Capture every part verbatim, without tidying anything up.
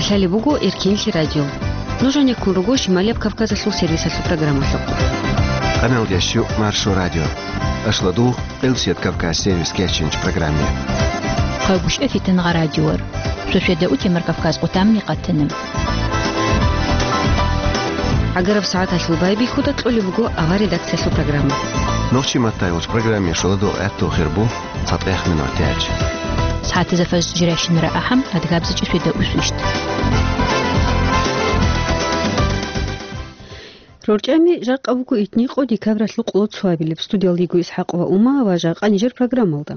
Лъалеб буго Эркенлъи радио. Нуж гьанеккун руго Шималияб Кавказалъул сервисалъул программалъухъ. Къаналдящу Маршо радио. Ашладу Къилсият Кавказ сервис кечинч программе. Къагушев Фитангъа радиор. Шошеда утемар Кавказ къутамни къатанам. Агараб сагӀаталъул байбихьуда кьолеб буго авар редакциялъул программа. Нохчи маттай уч программе шоладу гӀатту хирбу. ЦатӀех минутач. СагӀатазда фажр жирашинара ахӀам, адгабзичӀи светда усвищ. РорчӀами жакъа буго итни къо декабралъул къоло цоабилеб. Студиялда йиго ИсхӀакъова Ума ва жакъа нижер программалда.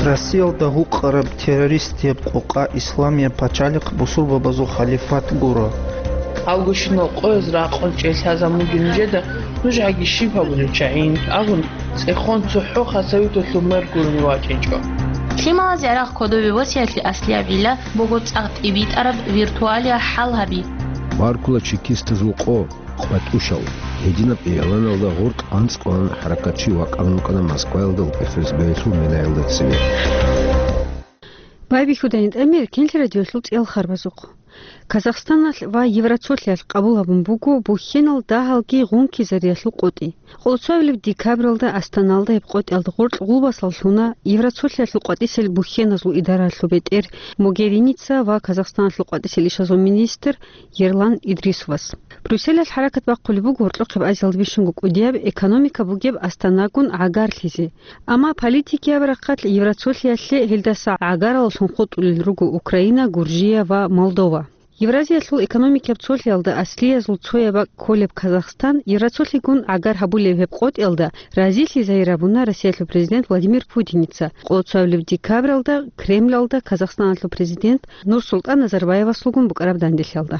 Россиялда гьукъараб террористияб къокъа Исламияб пачалихъ бусурбабазул халифат гуро. Авгущинал къояз ракъун чӀей лъазабун бугин нижеда, нуж гьаги щиб гьабулел чагӀин абун, цӀехон цохӀо хасавиталъул мер гурони вачӀинчӀо. Лъималазе гӀарахъ кодове босиялъе аслияб гӀилла буго цӀакъ тӀибитӀараб виртуалияб хӀал гьаби. Баркула чекистазул къо, къватӀушал. Гьединаб игӀланалда гъоркь анцӀкъван хӀаракатчи вакӀарун вукӀана Москваялда ФСБ-ялъул менаялда цеве. Байбихьуда гьитӀамир Эркенлъи радиолъул цӀиял харбазухъ. Казахстаналъ ва Евроцолъиялъ къабул гьабун буго бухьенал дагьалги гъункизариялъул къотӀи. Къоло цоабилеб декабралда Астаналда гьеб къотӀиялда гъоркь гъулбасал лъуна Евроцолъиялъул къватӀисел бухьеназул идаралъул бетӀер Могериница ва Казахстаналъул къватӀисел ишазул министр Ерлан Идрисовас. Брюсселалъ хӀаракат бахъулеб буго гьоркьохъеб Азиялда бищунго кӀудияб экономика бугеб Астанагун гӀагарлъизе. Амма политикияб рахъалъ Евроцолъиялъе гьелдаса гӀагараллъун хутӀулел руго Украина, Гуржия ва Молдова. Евразиялъул экономикияб цолъиялда аслиязул цояб бакӀ кколеб Казахстан Евроцолъигун гӀагар гьабулеб гьеб къотӀиялда разилъи загьир гьабуна Россиялъул президент Владимир Путиница къоло цоабилеб декабралда Кремлалда Казахстаналъул президент Нурсултан Назарбаевасулгун букӀараб данделъиялда.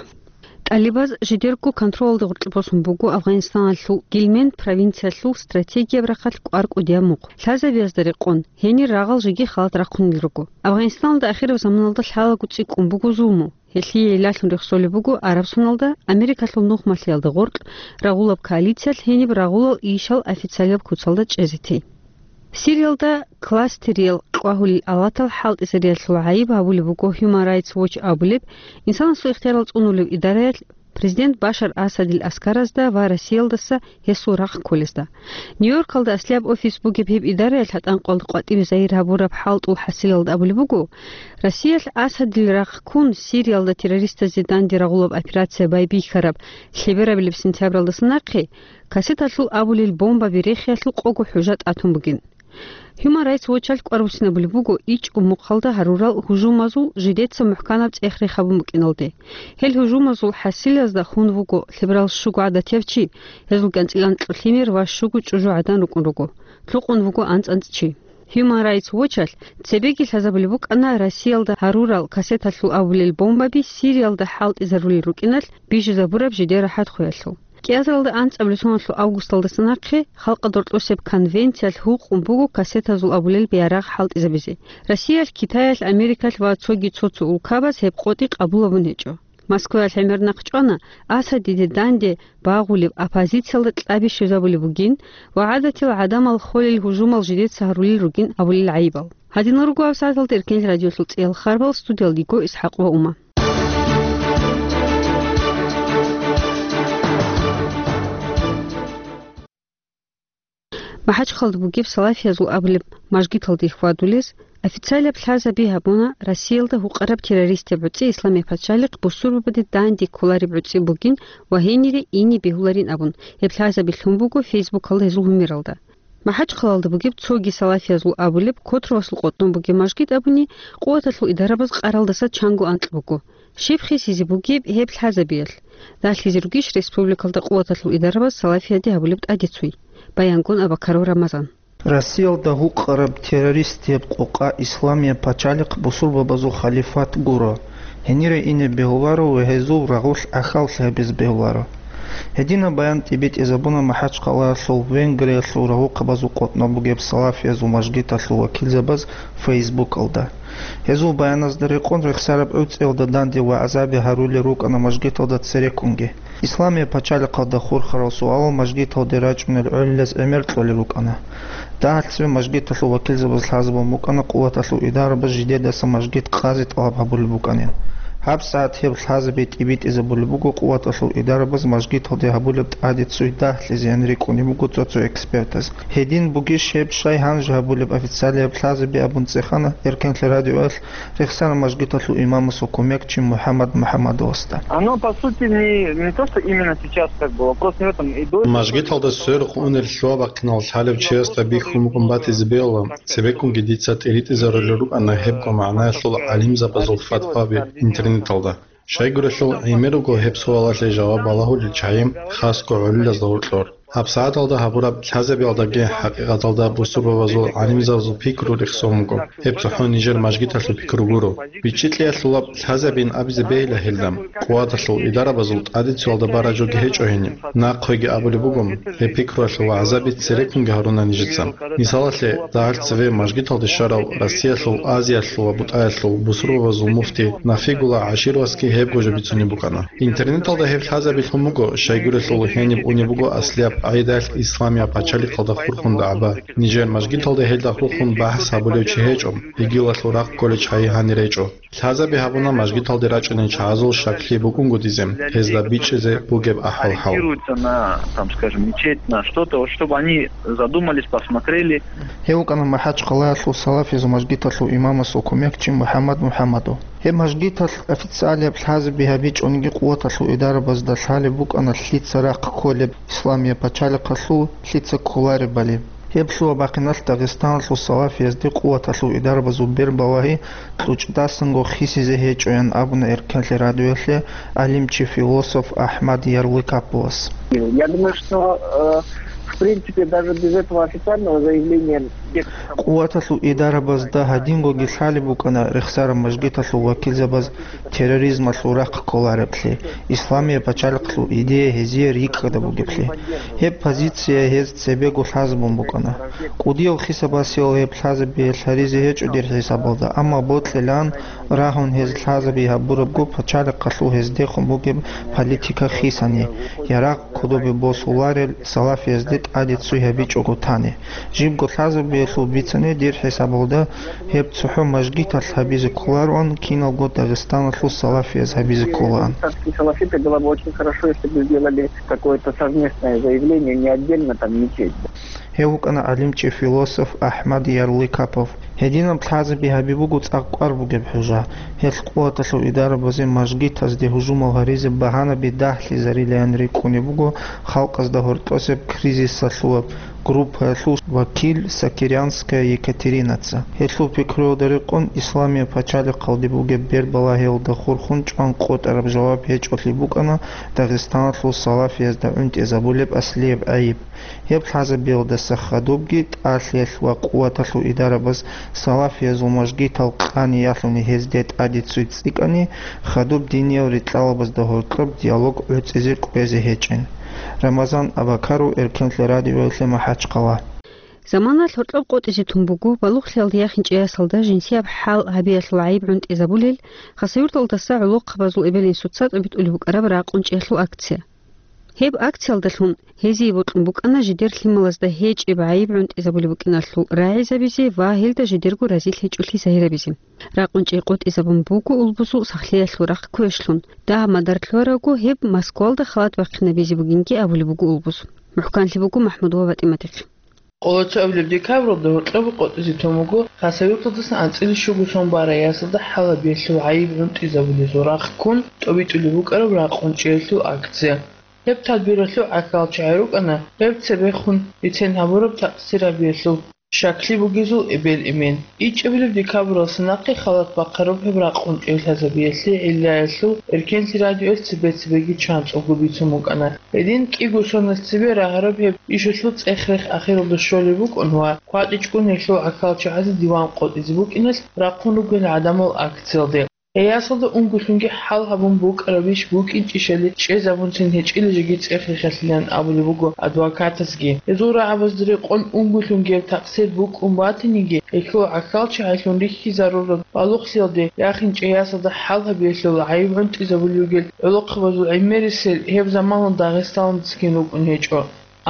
ТӀалибаз жидерго контролалда гъоркье босун буго Афганистаналъул Гильменд провинциялъул стратегияб рахъалъ кӀвар кӀудияб мухъ. Лъазабиязда рекъон, гьенир рагъал жеги халат рахъунел руго. Афганистаналда ахираб заманалда лъалаго цӀикӀкӀун буго зулму. Гьелъие илагьун рехсолеб буго Арабсоналда Америкалъул нухмалъиялда гъоркь рагъулаб коалициялъ гьениб рагъулал ийищал официалияб куцалда чӀезе тей. Сириялда кластериял кьвагьулел авлатал хӀалтӀизариялъул гӀайиб гьабулеб буго Human Rights Watch абулеб, инсанасул ихтиярал цӀунулев идараялъ президент Башар Асадил аскаразда ва Россиялдаса гьесул рахъ кколезда. Нью-Йоркалда аслияб офис бугеб гьеб идараялъ гьатӀанкъоялда къватӀибе загьир гьабураб хӀалтӀул хӀасилалда абулеб буго, Россиялъ Асадил рахъ ккун, Сириялда террористазде данде рагъулаб операция байбихьараб лъеберабилеб сентябралдаса нахъе кассеталъул абулел бомбаби рехиялъул къого хӀужа тӀатун бугин. Human Rights Watch-алъ кӀвар буссинабулеб буго ичӀго мухъалда гьарурал гьужумазул жидеца мухӀканаб цӀех рехабун букӀиналде. Гьел гьужумазул хӀасилазда хун вуго лъеберал щуго гӀадатияв чи, гьезул кӀанцӀил анкьго лъимер ва щуго чӀужу гӀадан рукӀун руго. Лъукъун вуго анцӀ-анцӀ чи. Human Rights Watch-алъ цебеги лъазабулеб букӀана Россиялда гьарурал кассеталъул абулел бомбаби Сириялда хӀалтӀизарулел рукӀиналъ бижизабураб жидер рахӀатхъуялъул. КӀиазаралда анцӀабилеб соналъул августалдаса нахъе Халкъалда гьоркьосеб конвенциялъ гьукъун буго кассетазул абулел бегьарагъ хӀалтӀизабизе. Россиялъ, Китаялъ, Америкалъ ва цоги цо-цо улкабаз гьеб къотӀи къабул гьабун гьечӀо. Москваялъ гӀемер нахъ чӀвана Асадиде данде багъулеб оппозициялда кьаби щвезабулеб бугин ва гӀадатил гӀадамал холел гьужумал жидеца гьарулел ругин абулел гӀайибал. Гьадинал руго гьаб сагӀаталда Эркенлъи радиолъул цӀиял харбал, студиялда йиго ИсхӀакъова Ума. МахӀачхъалда бугеб салафиязул абулеб мажгиталде хьвадулез официалаб лъазаби гьабуна Россиялда гьукъараб террористияб гӀуцӀи Исламияб пачалихъ бусурбабаде данде кколареб гӀуцӀи бугин ва гьенире ине бегьуларин абун, гьеб лъазаби лъун буго Фейсбукалда гьезул гьумералда. МахӀачхъалалда бугеб цоги салафиязул абулеб Котровасул къотӀун бугеб мажгит абуни, къуваталъул идарабаз къаралдаса чанго анкь буго. Щиб хисизе бугеб гьеб лъазабиялъ? Ралъизе ругищ республикалда къуваталъул идарабаз салафияде гьабулеб тӀадецуй? Баянгун Абакаров Рамазан. Россиялда гьукъараб террористияб къокъа Исламияб пачалихъ бусурбабазул халифат гуро. Гьенире ине бегьуларо ва гьезул рагъулъ ахьаллъи гьабизе бегьуларо. Гьединаб баян тӀибитӀизабуна МахӀачхъалаялъул Венгриялъул рагьухъабазул къотӀнаб бугеб салафиязул мажгиталъул вакилзабаз Фейсбукалда. Гьезул баяназда рекъон рехсараб гӀуцӀиялда данде вагӀзаби гьарулел рукӀана мажгиталда цереккунги. Исламияб пачалихъалда хурхарал суалал мажгиталде рачӀунел гӀолилаз гӀемер кьолел рукӀана. Дагьалъ цеве мажгиталъул вакилзабаз лъазабун букӀана къуваталъул идарабаз жидедаса мажгит къазе тӀалаб гьабулеб букӀанин. ГьабсагӀат гьеб лъазаби тӀибитӀизабулеб буго къуваталъул идарабаз мажгиталде гьабулеб тӀаде цуй дагьлъизеян рикӀкӀунеб буго цо-цо экспертаз. Гьедин бугищ гьеб щай гьанже гьабулеб официалияб лъазаби абун цӀехана Эркенлъи радиоялъ рехсараб мажгиталъул имамасул кумекчи МухӀаммад МухӀаммадовасда. Оно, по сути, не, не то, что именно сейчас, как бы, вопрос не в этом. И до этого Мажгиталда сверухъ унел лъугьа-бахъинал лъалев чиясда бихьун букӀун батизе бегьула, цебеккунги дица тӀиритӀизарулел рукӀана гьебго магӀнаялъул гӀалимзабазул фатваби интернеталда. Щайгурелъул гӀемер руго гьеб суалалъе жаваб балагьулел чагӀи, хасго гӀолилазда гьоркьор. ГьабсагӀаталда гьабураб лъазабиялдаги хӀакъикъаталда бусурбабазул гӀалимзабазул пикру рехсон буго. Гьеб цохӀо нижер мажгиталъул пикру гуро. БичӀчӀи кьеялъулаб лъазабин абизе бегьила гьелда. Къуваталъул идарабазул тӀадецуялда бараб жоги гьечӀо гьениб. Нахъеги абулеб буго, гьеб пикруялъул вагӀзаби цереккунги гьаруна нижеца. Мисалалъе, дагьалъ цеве мажгиталде щварав Россиялъул, Азиялъул ва БутӀаялъул бусурбабазул муфти Нафигулла ГӀашировасги гьебго жо бицунеб букӀана. Интернеталда гьеб лъазаби лъун буго, щайгурелъул гьениб унеб буго аслияб къагӀидаялъ исламияб пачалихъалда хурхун дагӀба. Нижер мажгиталда гьелда хурхун бахӀс гьабулев чи гьечӀо, игилалъул рахъ кколей чагӀи гьанир гьечӀо. Лъазаби гьабуна мажгиталде рачӀунел чагӀазул щаклъи букӀунгутӀизе, гьезда бичӀчӀизе бугеб ахӀвал-хӀал. Ориентируются на, там, скажем, мечеть, на что-то, вот, чтобы они задумались, посмотрели. Гьев вукӀана МахӀачхъалаялъул салафизул мажгиталъул имамасул кумекчи МухӀаммад МухӀаммадов. Гьеб мажгиталъ официалияб лъазаби гьабичӀониги къуваталъул идарабазда лъалеб букӀана лъица рахъ кколеб исламияб пачалихъалъул, лъица кколаребали. Гьеб лъугьа-бахъиналъ Дагъистаналъул салафиязде къуваталъул идарабазул бербалагьи кьучӀдасанго хисизе гьечӀоян абуна Эркенлъи радиоялъе гӀалимчи-философ АхӀмад Ярлыкаповас. Я думаю, что, э, в принципе, даже без этого официального заявления, без Къуваталъул идарабазда гьадингоги лъалеб букӀана рехсараб мажгиталъул вакилзабаз терроризмалъул рахъ кколареблъи, исламияб пачалихълъул идея гьезие рикӀкӀада бугеблъи. Гьеб позиция гьез цебего лъазабун букӀана. КӀудияв хисабасиял гьеб лъазабиялъ гьаризе гьечӀо дир хӀисабалда, амма бокьилан рагьун гьез лъазаби гьабурабго пачалихъалъул гьездехун бугеб политика хисани, ярагъ кодобе босуларел салафиязде тӀаде цуй гьабичӀого тани. Жибго лъазабиялъул бицани дир хӀисабалда гьеб цохӀо мажгиталъ гьабизе кколароан, киналго Дагъистаналъул салафияз гьабизе кколаан. Дагестанские салафиты было бы очень хорошо, если бы сделали какое-то совместное заявление, не отдельно там мечеть. Гьев вукӀана гӀалимчи-философ АхӀмад Ярлыкапов. Гьединаб лъазаби гьаби буго цӀакъ кӀвар бугеб хӀужа. Гьелъ къуваталъул идарабазе мажгитазде гьужумал гьаризе багьанаби дагьлъизарилаян рикӀкӀунеб буго халкъазда гьоркьосеб кризисалъулаб группаялъул вакил Сокирянская Екатеринаца. Гьелъул пикруялда рекъон, исламияб пачалихъалде бугеб бербалагьиялда хурхун чӀван къотӀараб жаваб гьечӀолъи букӀана Дагъистаналъул салафиязда гӀунтӀизабулеб аслияб гӀайиб. Гьеб лъазабиялдаса хадубги тӀалъиялъ ва къуваталъул идарабаз салафиязул мажгитал къани ялъуни гьезде тӀаде цуй цӀикӀкӀани, хадуб диниял рикьалабазда гьоркьоб диалог гӀуцӀизе кӀвезе гьечӀин. Рамазан Абакаров, Эркенлъи радиоялъе, МахӀачхъала. Заманалъ гьоркьоб къотӀизе тун буго балугълъиялда яхинчӀей ясалда жинсияб хӀал гьабиялъул гӀайиб гӀунтӀизабулел, Хасавюрталдаса гӀолохъабазул эбел-инсуца тӀобитӀулеб букӀараб ракъун чӀиялъул акция. Гьеб акциялдалъун гьезие бокьун букӀана жидер лъималазда гьечӀеб гӀайиб гӀунтӀизабулеб букӀиналъул рагӀизабизе ва гьелда жидерго разилъ гьечӀолъи загьирабизе. Ракъун чӀей къотӀизабун буго улбузул сахлъиялъул рахъ квешлъун. Дагьаб мадар лъугьарабго гьеб Москвалда халат бахъинабизе бугинги абулеб буго улбуз. МухӀканлъи буго МахӀмудова ВатӀиматихъ. Къоло цоабилеб декабралда гьоркьоб къотӀизе тун буго Хасавюрталдасан анцӀила щуго сон барай ясалда хӀал гьабиялъул гӀайиб гӀунтӀизабулезул рахъ ккун тӀобитӀулеб букӀараб ракъун чӀиялъул акция. Гьеб тадбиралъул гӀахьалчагӀи рукӀана гьеб цебехун бицен гьабураб такъсир гьабиялъул щаклъи бугезул эбел-эмен. ИчӀабилеб декабралдаса нахъе халат бахъараб гьеб ракъун чӀей лъазабиялъе гӀиллаялъул Эркенлъи радиоялъ цебе-цебеги чанцӀулго бицун букӀана. Гьедин кӀиго соналъ цебе рагьараб гьеб ишалъул цӀех-рех ахиралда щолеб букӀун ва кватӀичӀгун гьелъул гӀахьалчагӀазе диван къотӀизе букӀиналъ рахъун ругел гӀадамал акциялде. Гьей ясалда унгулъунги хӀал гьабун букӀарабищ букӀинчӀищали чӀезабунцин гьечӀила жеги цӀех-рехалъилан абулеб буго адвокатасги. Гьезул рагӀабазда рекъон унгулъунги гьеб такъсир букӀун батаниги, гьелъул гӀахьалчагӀилъун рихьизарураб балугълъиялде яхинчӀей ясалда хӀал гьабиялъул гӀайиб гӀунтӀизабулеб бугел гӀолохъабазул гӀемерисел гьеб заманалда Дагъистаналдасагин рукӀун гьечӀо.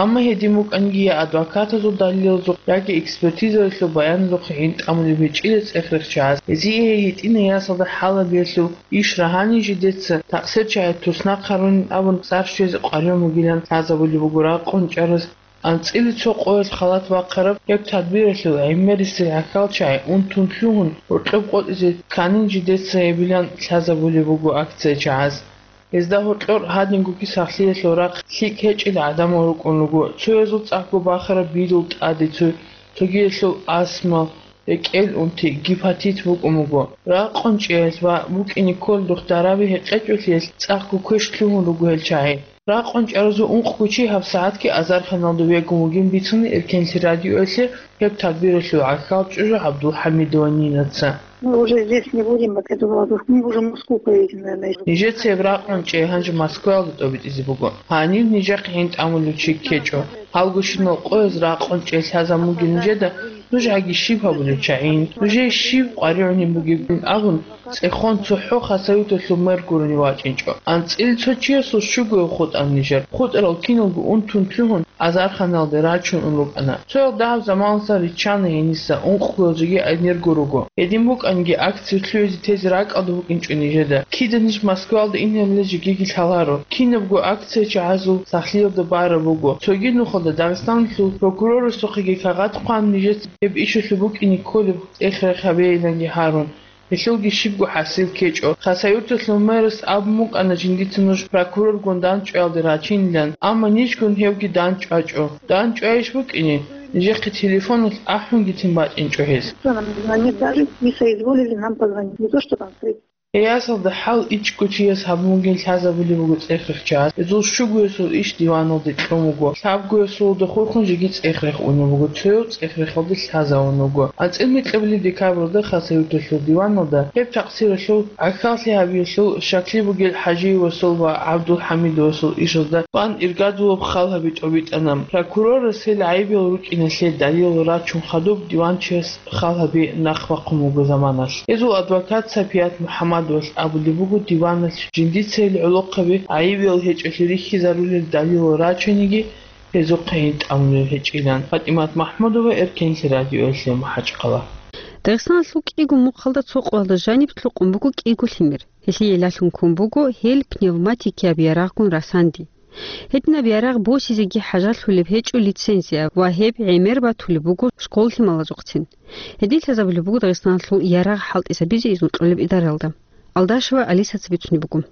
Амма гьедин букӀанги, я адвокатазул далилалъухъ, яги экспертизаялъул баяналъухъ гӀин тӀамулеб гьечӀила цӀех-рехчагӀаз, гьезие гьей гьитӀинай ясалда хӀал гьабиялъул иш рагьанин жидеца такъсирчагӀи туснахъ гьарунин абун цӀар щвезе къваригӀун бугилан лъазабулеб буго ракъун чӀараз. АнцӀила цо къоялъ халат бахъараб гьеб тадбиралъул гӀемерисел гӀахьалчагӀи унтун лъугьун, гьоркьоб къотӀизе кканин жидеца гьебилан лъазабулеб буго акция чагӀаз. Гьезда гьоркьор гьадингоги сахлъиялъул рахъ лъикӀ гьечӀел гӀадамал рукӀун руго, цоязул цӀакъго бахараб бирул тӀаде цо, цогиялъул астма, рекӀел унти, гепатит букӀун буго. РакъунчӀиялъ ва букӀине кколдухъ дараби гьекъечӀолъиялъ цӀакъго квеш лъугьун руго гьел чагӀи. РакъунчӀаразул ункъго чи гьабсагӀатги азарханалда вегун вугин бицуна Эркенлъи радиоялъе гьеб тадбиралъул гӀахьал чӀужу ГӀабдулхӀамидова Нинаца. Мы уже здесь не будем, вот эту молодежь. Мы уже в Москву поедем, наверное. Нижеца гьеб ракъун чӀей гьанже Москваялда тӀобитӀизе буго. Гьанив нижехъе гӀин тӀамулев чи ккечӀо. Гьалгощинал къояз ракъун чӀей лъазабун бугел нижеда нуж гьаги щиб гьабулев чагӀин, нужее щиб къваригӀунеб бугебин абун, цӀехон цохӀо Хасавюрталъул мэр гурони вачӀинчӀо. АнцӀила цо чиясул щугояв хутӀана нижер. ХутӀарал киналго унтун лъугьун, азарханалде рачун ун рукӀана. Цоял дагьаб заманалдасан риччана гьениса, ункъго жеги гӀемерго руго. Гьедин букӀанги, акция лъугӀизе тезе ракӀалда букӀинчӀо нижеда. Кида ниж Москваялда инарила жегиги лъаларо. Кинабго акция чагӀазул сахлъиялда бараб буго. Цоги нухалда Дагъистаналъул прокурорасухъеги кагъат хъван, нижеца гьеб ишалъул букӀине кколеб цӀех-рех гьабейиланги гьарун. Гьелъулги щибго хӀасил ккечӀо. Хасавюрталъул мэрас абун букӀана жиндица нуж прокуроргун дандчӀваялде рачинилан, амма нижгун гьевги дандчӀвачӀо. ДандчӀвайищ букӀине, нижехъе телефоналъ ахӀунгицин бачӀинчӀо гьес. Что нам звонит, даже не соизволили нам позвонить. Не то, что там встретиться. Гьей ясалда хӀал ичӀго чияс гьабун бугин лъазабулеб буго цӀех-рехчагӀаз. Гьезул щугоясул иш диваналде кьун буго. Лъабгоясулда хурхун жеги цӀех-рех унеб буго, цояв цӀех-рехалде лъазавун вуго. АнцӀила микьабилеб декабралда Хасавюрталъул диваналда гьеб такъсиралъул гӀахьаллъи гьабиялъул щаклъи бугел ХӀажиевасул ва ГӀабдулхӀамидовасул ишазда бан иргадулаб хал гьаби тӀобитӀана. Прокурорас гьел гӀайибиял рукӀиналъе далилал рачун хадуб диванчияс хал гьаби нахъ бахъун буго заманалъ. Гьезул адвокат Сапият МухӀаммадовалъ абулеб буго диваналъ жиндица гьел гӀолохъаби гӀайибиял гьечӀолъи рихьизарулел далилал рачаниги, гьезухъе гӀин тӀамулел гьечӀилан. ПатӀимат МахӀмудова, Эркенлъи радиоялъе, МахӀачхъала. Дагъистаналъул кӀиго мухъалда цо къоялда жаниб лъукъун буго кӀиго лъимер. Гьелъие лъалъун ккун буго гьел пневматикияб ярагъгун расанди. Гьединаб ярагъ босизеги хӀажалъулеб гьечӀо лицензия ва гьеб гӀемер батулеб буго школ лъималазухъцин. Гьедин лъазабулеб буго Дагъистаналъул ярагъ хӀалтӀизабизе изну кьолеб идаралда. Алдашева Алисаца бицунеб буго.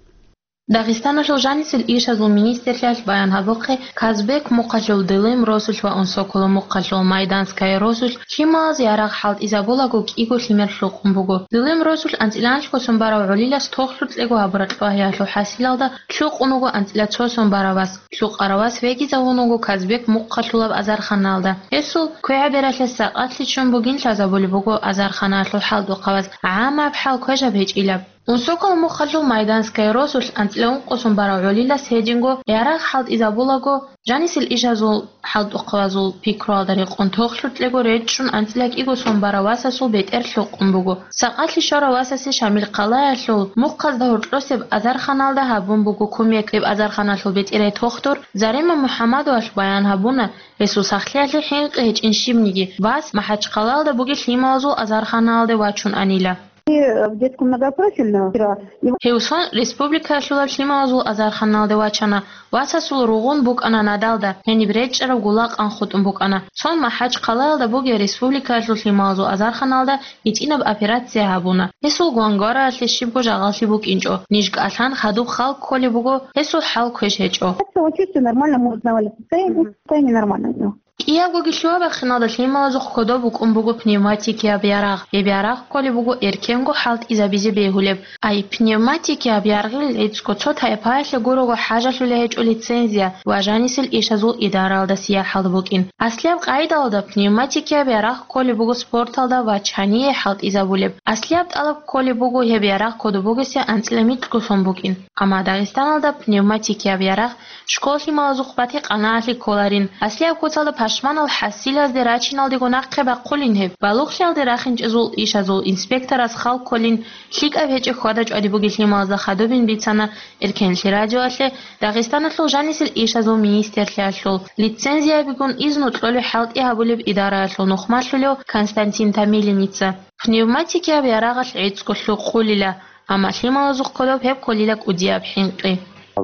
Дагъистаналъул жанисел ишазул министрлъиялъ баян гьабухъе, Казбек мухъалъул Дылим росулъ ва Унсоколо мухъалъул Майданская росулъ лъималаз ярагъ хӀалтӀизабулаго кӀиго лъимер лъукъун буго. Дылим росулъ анцӀила анлъго сон барав гӀолилас тохлъукьего гьабураб лъугьа-ялъул хӀасилалда лъукъун вуго анцӀила цо сон барав вас. Лъукъарав вас вегизавун вуго Казбек мухъалъулаб азарханалда. Гьесул квегӀабералъе сакъатлъи ччун бугин лъазабулеб буго азарханалъул хӀалтӀухъаваз, гӀаммаб хӀал квешаб гьечӀилаб. Унсоколо мухъалъул Майданская росулъ анцӀила ункъо сон барав гӀолилас гьединго ярагъ хӀалтӀизабулаго, жанисел ишазул хӀалтӀухъавазул пикруялда рекъон тохлъукьего речӀчӀун анцӀила кӀиго сон барав васасул бетӀер лъукъун буго. Сакъалъи щварав васасе Шамил хъалаялъул мухъазда гьоркьосеб азарханалда гьабун буго кумек. Гьеб азарханалъул бетӀерай тохтур Зарима МухӀаммадовалъ баян гьабуна, гьесул сахлъиялъе хӀинкъи гьечӀин щибниги, вас МахӀачхъалаялда бугел лъималазул азарханалде вачун анила. И в детском многопрофильном вчера его Гьев сон республикаялъулаб лъималазул азарханалде вачана, васасул ругъун букӀана надалда, гьениб речӀчӀараб гулакъан хутӀун букӀана. Сон МахӀачхъалаялда бугеб республикаялъул лъималазул азарханалда гьитӀинаб операция гьабуна. Гьесул гвангвараялъе щибго жагъаллъи букӀинчӀо. Ниж кӀалъан хадуб хал кколеб буго, гьесул хӀал квеш гьечӀо. Как-то он чувствует нормально, мы узнавали состояние, состояние нормальное у него. Киябгоги лъугьа-бахъиналда лъималазухъ кодоб букӀун буго пневматикияб ярагъ. Гьеб ярагъ кколеб буго эркенго хӀалтӀизабизе бегьулеб. Ай, пневматикияб ярагъил гӀицӀго цо тайпаялъе гурого хӀажалъулей гьечӀо лицензия ва жанисел ишазул идараялда сияхӀалда букӀин. Аслияб къагӀидалда пневматикияб ярагъ кколеб буго спорталда ва чание хӀалтӀизабулеб. Аслияб тӀалаб кколеб буго гьеб ярагъ кодоб бугесе анцӀила микьго сон букӀин. Амма Дагъистаналда пневматикияб ярагъ школ лъималазухъ батикъанаалъе кколарин. Аслияб куцалда пашманал хӀасилазде рачиналдего нахъе бахъулин гьеб. Балугълъиялде рахинчӀезул ишазул инспекторас хал кколин, лъикӀаб гьечӀеб хьвада-чӀвади бугел лъималазда хадубин бицана Эркенлъи радиоялъе Дагъистаналъул жанисел ишазул министрлъиялъул лицензиябигун изну кьолеб хӀалтӀи гьабулеб идараялъул нухмалъулев Константин Томилиница. Пневматикияб ярагъалъ гӀицӀго лъукъулила, амма лъималазухъ кодоб гьеб кколила кӀудияб хӀинкъи.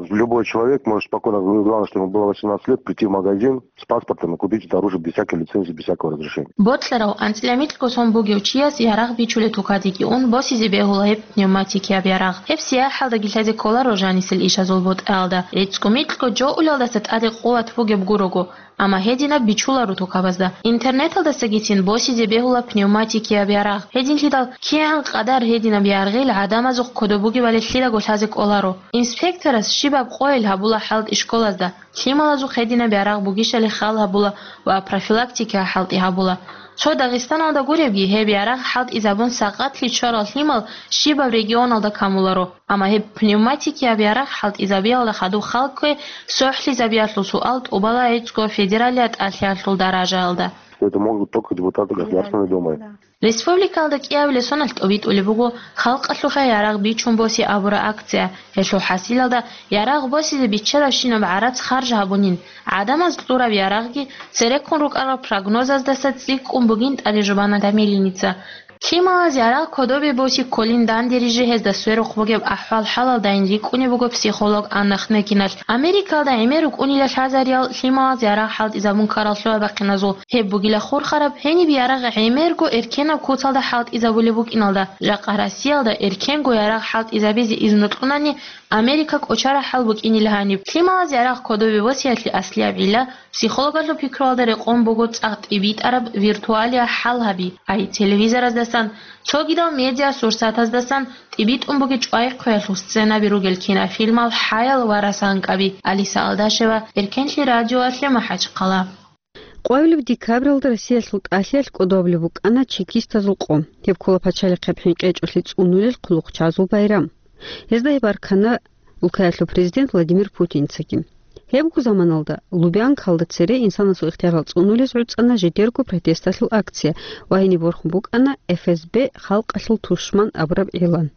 Любой человек может спокойно, главное, чтобы ему было восемнадцать лет, прийти в магазин с паспортом и купить это оружие без всякой лицензии, без всякого разрешения. Бокьарав анцӀила микьго сон бугев чияс ярагъ бичулеб тукадеги ун босизе бегьула гьеб пневматикияб ярагъ. Гьеб сияхӀалдаги лъазе кколаро жанисел ишазул бутӀаялда. ГӀицӀго микьго жо улелдаса тӀаде къуват бугеб гурого, амма гьединаб бичуларо тукабазда. Интернеталдасагицин босизе бегьула пневматикияб ярагъ. Гьединлъидал кигӀан къадар гьединаб ярагъил гӀадамазухъ кодоб бугебали лъидаго лъазе кӀоларо. Инспекторас щибаб къойил гьабула хӀалтӀи школазда, лъималазухъ гьединаб ярагъ бугищали хал гьабула ва профилактика хӀалтӀи гьабула. Цо Дагъистаналда гуребги, гьеб ярагъ хӀалтӀизабун сакъатлъи чӀварал лъимал щибаб регионалда камуларо. Амма гьеб пневматикияб ярагъ хӀалтӀизабиялда хадуб хал ккве сохӀлъизабиялъул суал тӀубала гӀицӀго федералияб тӀалъиялъул даражаялда. Что это могут только депутаты Государственной Думы. Республикалда кӀиабилеб соналъ тӀобитӀулеб буго халкъалъухъе ярагъ бичун босе абураб акция. Гьелъул хӀасилалда ярагъ босизе биччадабщинаб гӀарац харж гьабунин, гӀадамаз кьураб ярагъги цереккун рукӀарал прогнозаздаса цӀикӀкӀун бугин тӀаде жубана Томилиница. Лъималаз ярагъ кодобе боси кколин данде рижи гьезда сверухъ бугеб ахӀвал-хӀалалдайин рикӀкӀунеб буго психолог Анна Хнекиналъ. Америкалда гӀемер рукӀунила лъазариял лъималаз ярагъ хӀалтӀизабун ккарал лъугьа-бахъиназул. Гьеб бугила хурхараб, гьениб ярагъ гӀемерго эркенаб куцалда хӀалтӀизабулеб букӀиналда. Жакъа Россиялда эркенго ярагъ хӀалтӀизабизе изну кьунани, Америка кӀочараб хӀал букӀинила гьаниб. Лъималаз ярагъ кодобе босиялъе аслияб гӀилла психологалъул пикруялда рекъон буго цӀакъ тӀибитӀараб виртуалияб хӀал гьаби, ай телевизораздасан, цогидал медиасурсатаздасан тӀибитӀун бугеб чӀвай-хъвеялъул сценаби ругел кинофильмал хӀаял ва расанкъаби. Алиса Алдашева, Эркенлъи радиоялъе, МахӀачхъала. Къвабилеб декабралда Россиялъул тӀалъиялъ кӀодобулеб букӀана чекистазул къо. Гьеб ккола пачалихъеб хӀинкъичӀолъи цӀунулел хъулухъчагӀазул байрам. Гьезда гьеб аркана улкаялъул президент Владимир Путинцаги. Гьебго заманалда Лубянкалда цере инсанасул ихтиярал цӀунулез гӀуцӀана жидерго протесталъул акция ва гьениб борхун букӀана Ф С Б халкъалъул тушман абураб игълан.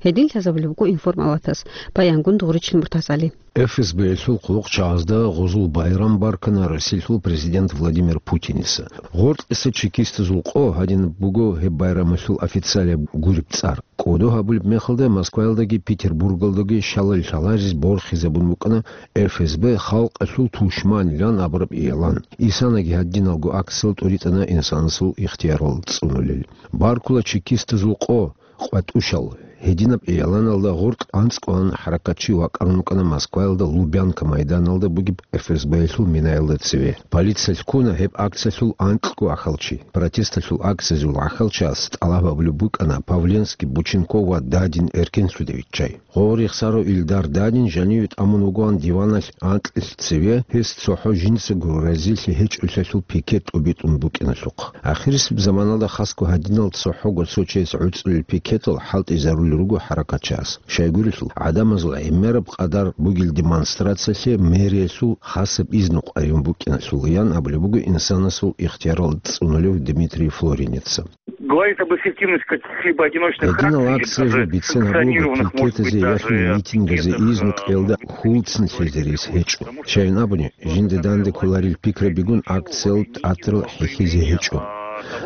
Гьедин лъазабулеб буго информалатас, баянгун Дугъричил Муртазали. Ф С Б-ялъул хъулухъчагӀазда гъозул байрам баркана Россиялъул президент Владимир Путиница. Гъоркьиса чекистазул къо гьадинаб буго гьеб байрамалъул официалияб гуреб цӀар. КӀодо гьабулеб мехалда Москваялдаги Петербургалдаги шалал-шалариз борхизабун букӀана Ф С Б халкъалъул тушманилан абураб игълан. Исанаги гьадиналго акциял тӀуритӀана инсанасул ихтиярал цӀунулел. Баркула чекистазул къо, къватӀушал. Гьединаб игъланалда гъоркь анцӀкӀван хӀаракатчи вакӀарун вукӀана Москваялда Лубянка майданалда бугеб Ф С Б-ялъул минаялда цеве. Полициялъ ккуна гьеб акциялъул анкьго ахалчи. Протесталъул акциязул ахалчияс тӀалаб гьабулеб букӀана Павленский, Бученков ва Дадин эркенлъуде виччай. Гъо рехсарав Илдар Дадин жаниве тӀамун вугоан диваналъ анкьилъ цеве, гьес цохӀо жинцаго разилъи гьечӀолъиялъул пикет тӀубитӀун букӀиналъухъ. Ахирисеб заманалда хасго гьадинал цохӀого цо чияс гӀуцӀулел пикетал хӀалтӀизарулел руго хӀаракатчияс. Щайгурелъул, гӀадамазул гӀемераб къадар бугел демонстрациялъе мэриялъул хасаб изну къваригӀун букӀиналъул, ян абулеб буго инсанасул ихтиярал цӀунулев Дмитрий Флоринеца. Говорит об эффективности каких-либо одиночных Гьединал акций, акциязул бицен гьабулеб санкционированных, может быть, пикетазе даже яхӀун митингазе каких-то, изну э, кьелда хьулцин лъезе рес гьечӀо. Щайин абуни, жинда данде кколарел пикрабигун акциялъ тӀатрал хӀехьизе гьечӀо.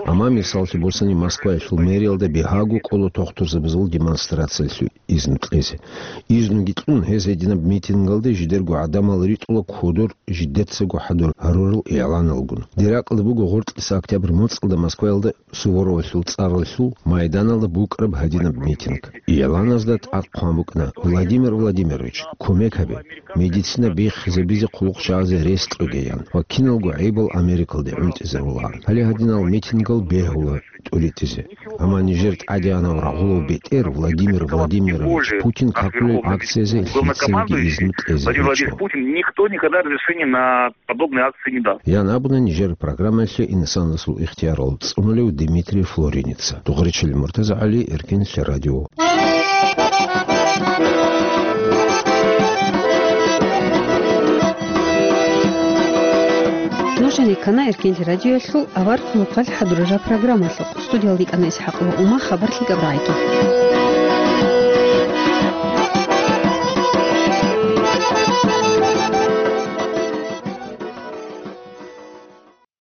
Амма мисаллъи босани, Москваялъул мэриялда бигьаго кӀола тохтурзабазул демонстрациялъул изну кьезе. Изнуги кьун, гьез гьединаб митингалде жидерго гӀадамал ритӀула кодор жидецаго хӀадур гьарурал игӀланалгун. Диракъалда буго гъоркьиса октябрь моцӀалда Москваялда Суворовалъул цӀаралъул майданалда букӀараб гьадинаб митинг. ИгӀланазда тӀад хъван букӀана: «Владимир Владимирович, кумек гьабе, медицина биххизабизе хъулухъ чагӀазе рес кьоге», – ян ва киналго гӀайибал Америкалде гӀунтӀизарулаан. Гьале гьадинал митингал бегьула тӀуритӀизе. Амма нижер тӀадегӀанав рагъулав бетӀер Владимир Владимирович Путин какулел акциязе лъицаниги изну кьезе Владимир гьечӀо. Путин никто никогда разрешения на подобные акции не даст. Ян абуна нижер программаялъе инсанасул ихтиярал цӀунулев Дмитрий Флоринеца. Дугъричили Муртаза ГӀали, Эркенлъи радио. Нуж гьанир ккана Эркенлъи радиоялъул авар хъулухъалъ хӀадурараб программалъухъ. Студиялда йикӀана ИсхӀакъ ва Ума, хабар лъикӀаб рагӀиги.